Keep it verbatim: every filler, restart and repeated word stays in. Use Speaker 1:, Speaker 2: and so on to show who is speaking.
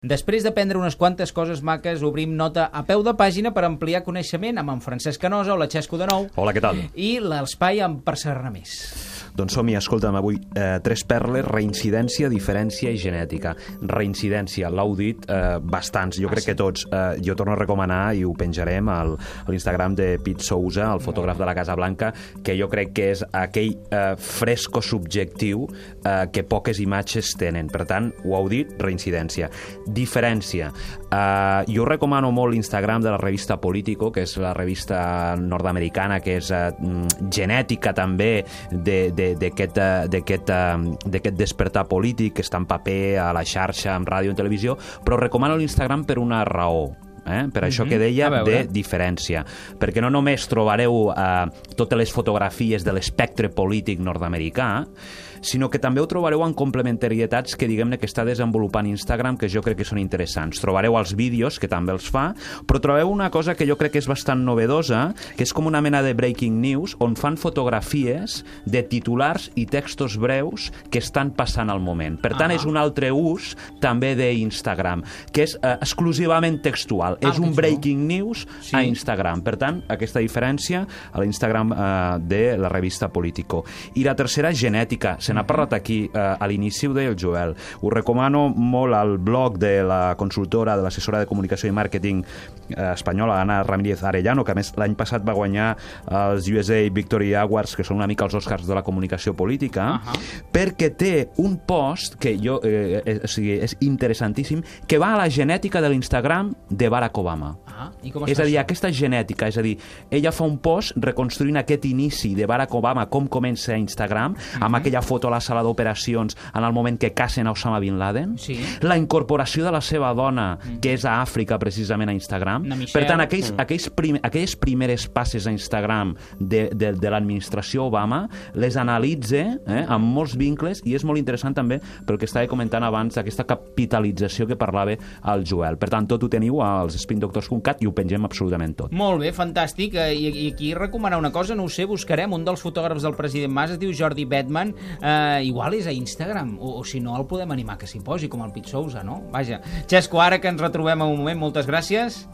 Speaker 1: Després d'aprendre unes quantes coses maques, obrim nota a peu de pàgina per ampliar coneixement amb en Francesc Canosa. Hola, Xesco, de nou.
Speaker 2: Hola, què tal?
Speaker 1: I l'espai amb per saber més.
Speaker 2: Doncs som-hi, escolta'm, avui eh, tres perles: reincidència, diferència i genètica. Reincidència, l'heu dit eh, bastants, jo crec que tots. Eh, jo torno a recomanar, i ho penjarem al, a l'Instagram de Pete Sousa, el fotògraf de la Casa Blanca, que jo crec que és aquell eh, fresco subjectiu eh, que poques imatges tenen. Per tant, ho heu dit, reincidència. Diferència. Eh, jo recomano molt l'Instagram de la revista Politico, que és la revista nord-americana, que és eh, genètica també de, de d'aquest d'aquest despertar polític que està en paper, a la xarxa, en ràdio, en televisió, però recomano l'Instagram per una raó. Eh? Per això que deia de diferència, perquè no només trobareu eh, totes les fotografies de l'espectre polític nord-americà, sinó que també ho trobareu en complementarietats que diguem-ne que està desenvolupant Instagram, que jo crec que són interessants. Trobareu els vídeos, que també els fa, però trobeu una cosa que jo crec que és bastant novedosa, que és com una mena de breaking news, on fan fotografies de titulars i textos breus que estan passant al moment. Per tant, ah. és un altre ús també d'Instagram, que és eh, exclusivament textual. Ah, és un breaking news sí. a Instagram. Per tant, aquesta diferència a l'Instagram eh, de la revista Politico. I la tercera, genètica. Se n'ha parlat aquí eh, a l'inici, ho deia el Joel. Ho recomano molt al blog de la consultora, de l'assessora de comunicació i màrqueting eh, espanyola, Ana Ramírez Arellano, que a més l'any passat va guanyar els U S A Victory Awards, que són una mica els Oscars de la comunicació política, uh -huh. perquè té un post que jo, eh, eh, o sigui, és interessantíssim, que va a la genètica de l'Instagram de Barack Obama.
Speaker 1: Ah, i com
Speaker 2: és a dir,
Speaker 1: això?
Speaker 2: aquesta genètica, és a dir, ella fa un post reconstruint aquest inici de Barack Obama, com comença a Instagram, uh -huh. amb aquella foto a la sala d'operacions en el moment que cacen a Osama Bin Laden, sí. la incorporació de la seva dona, uh -huh. que és a Àfrica, precisament a Instagram. Per tant, aquells, uh-huh. aquells prim, aquelles primeres passes a Instagram de, de, de l'administració Obama, les analitza eh, amb molts vincles, i és molt interessant també pel que estava comentant abans, aquesta capitalització que parlava el Joel. Per tant, tot ho teniu als spin doctors punt cat i ho pengem absolutament tot.
Speaker 1: Molt bé, fantàstic. I, i aquí recomanar una cosa, no ho sé, buscarem un dels fotògrafs del president Mas, es diu Jordi Bedman, eh, igual és a Instagram, o, o si no el podem animar que s'hi posi, com el Pete Sousa, no? Vaja. Xesco, ara que ens retrobem en un moment, moltes gràcies.